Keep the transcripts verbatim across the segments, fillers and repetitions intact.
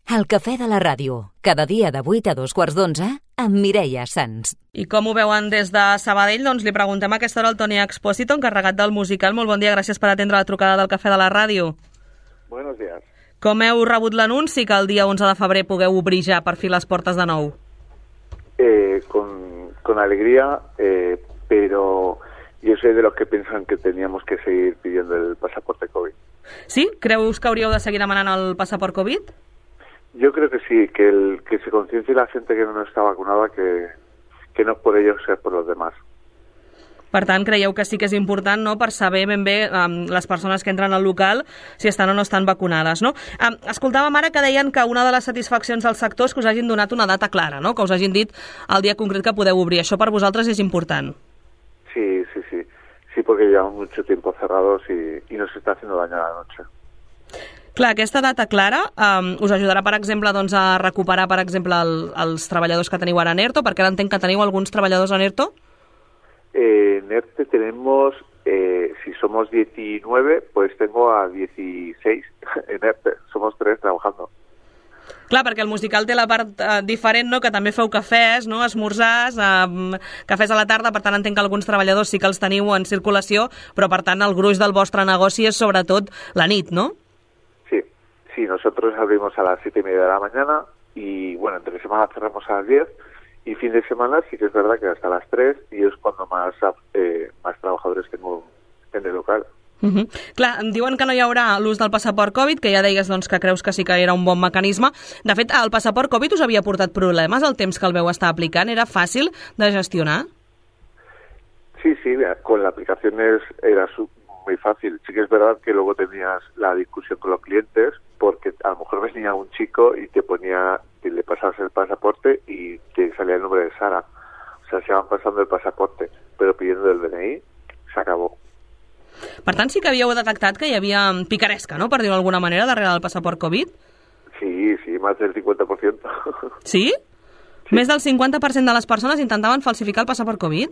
El cafè de la ràdio, cada dia de vuit a dos quarts d'onze, amb Mireia Sans. I com ho veuen des de Sabadell? Doncs li preguntem a aquesta hora al Toni Expósito, encarregat del musical. Molt bon dia, gràcies per atendre la trucada del cafè de la ràdio. Buenos días. Com heu rebut l'anunci que el dia onze de febrer pugueu obrir ja per fi les portes de nou? Eh, con, con alegría, eh, pero yo soy de los que piensan que teníamos que seguir pidiendo el pasaporte COVID. Sí? Creus que hauríeu de seguir demanant el passaport Covid? Yo creo que sí, que, el, que se conciencie la gente que no está vacunada, que, que no es por ellos, sea por los demás. Per tant, creieu que sí que és important, no?, per saber ben bé um, les persones que entren al local si estan o no estan vacunades, no? Um, escoltàvem ara que deien que una de les satisfaccions del sector és que us hagin donat una data clara, no?, que us hagin dit el dia concret que podeu obrir. Això per vosaltres és important. Sí, sí, sí. Sí, porque llevamos mucho tiempo cerrados y, y nos está haciendo daño a la noche. Clar, aquesta data clara um, us ajudarà, per exemple, doncs, a recuperar, per exemple, el, els treballadors que teniu ara en ERTO, perquè ara entenc que teniu alguns treballadors en ERTO? Eh, en ERTE tenemos, eh, si somos diecinueve, pues tengo a dieciséis en ERTE. Somos tres trabajando. Clar, perquè el musical té la part eh, diferent, no?, que també feu cafès, no?, esmorzars, eh, cafès a la tarda, per tant entenc que alguns treballadors sí que els teniu en circulació, però per tant el gruix del vostre negoci és sobretot la nit, no? Sí, sí, nosotros abrimos a las siete y media de la mañana y, bueno, entre semana cerramos a las diez y fin de semana sí que es verdad que hasta las tres y es cuando más, eh, más trabajadores tengo en el local. Uh -huh. Clar, em diuen que no hi haurà l'ús del passaport Covid, que ja deies doncs, que creus que sí que era un bon mecanisme. De fet, el passaport Covid us havia portat problemes el temps que el veu estar aplicant? Era fàcil de gestionar? Sí, sí, con la aplicación es, era su, muy fácil. Sí que es verdad que luego tenías la discusión con los clientes porque a lo mejor venía un chico y te ponía, y le pasabas el pasaporte y te salía el nombre de Sara. O sea, se iban pasando el pasaporte, pero pidiendo el D N I, se acabó. Per tant, sí que havíeu detectat que hi havia picaresca, no?, per dir-ho d'alguna manera, darrere del passaport Covid? Sí, sí, más del cincuenta por ciento. Sí? Sí? Més del cinquanta per cent de les persones intentaven falsificar el passaport Covid?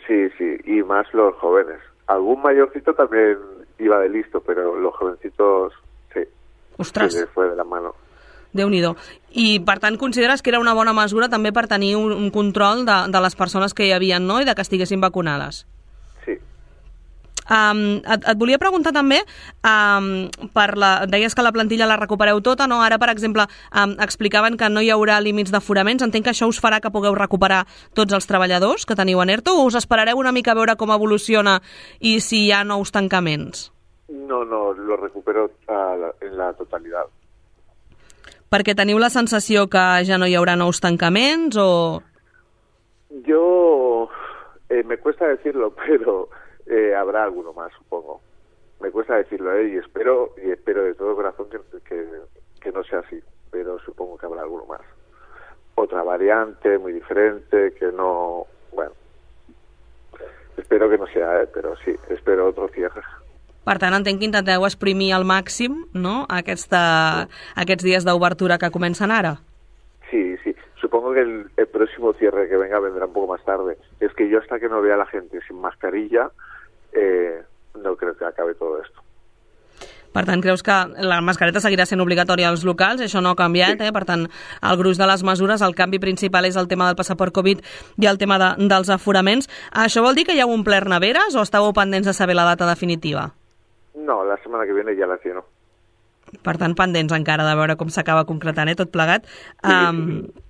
Sí, sí, y más los jóvenes. Algún mayorcito también iba de listo, pero los jovencitos, sí. Ostres! Se les fue de la mano. Déu-n'hi-do. I, per tant, consideres que era una bona mesura també per tenir un, un control de, de les persones que hi havia, no?, i de que estiguessin vacunades? Sí. Um, et, et volia preguntar també, um, per la, deies que la plantilla la recupereu tota, no? Ara, per exemple, um, explicaven que no hi haurà límits d'aforaments. Entenc que això us farà que pugueu recuperar tots els treballadors que teniu en ERTO, o us esperareu una mica a veure com evoluciona i si hi ha nous tancaments? No, no, lo recupero a la, en la totalidad. Perquè teniu la sensació que ja no hi haurà nous tancaments, o...? Yo, eh, me cuesta decirlo, pero... Eh, habrá alguno más, supongo. Me cuesta decirlo, ¿eh? y espero y espero de todo corazón que, que, que no sea así, pero supongo que habrá alguno más. Otra variante muy diferente, que no... Bueno, espero que no sea, ¿eh? pero sí, espero otro cierre. Per tant, entenc que intenteu exprimir al màxim, no?, aquesta, aquests dies d'obertura que comencen ara. Sí, sí. Supongo que el, el próximo cierre que venga vendrá un poco más tarde. Es que yo hasta que no vea a la gente sin mascarilla, eh, no creo que acabe todo esto. Per tant, creus que la mascareta seguirà sent obligatòria als locals? Això no ha canviat, sí. eh? Per tant, el gruix de les mesures, el canvi principal és el tema del passaport Covid i el tema de, dels aforaments. Això vol dir que hi ha omplert neveres o estàveu pendents de saber la data definitiva? No, la setmana que viene ja la lleno. Per tant, pendents encara de veure com s'acaba concretant, eh? Tot plegat. Sí, um, sí, sí.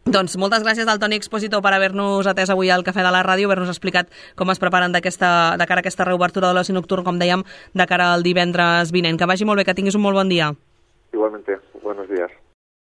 Doncs moltes gràcies al Toni Expósito per haver-nos atès avui al Cafè de la Ràdio, haver-nos explicat com es preparen d'aquesta, de cara a aquesta reobertura de l'oci nocturn, com dèiem, de cara al divendres vinent. Que vagi molt bé, que tinguis un molt bon dia. Igualmente, buenos días.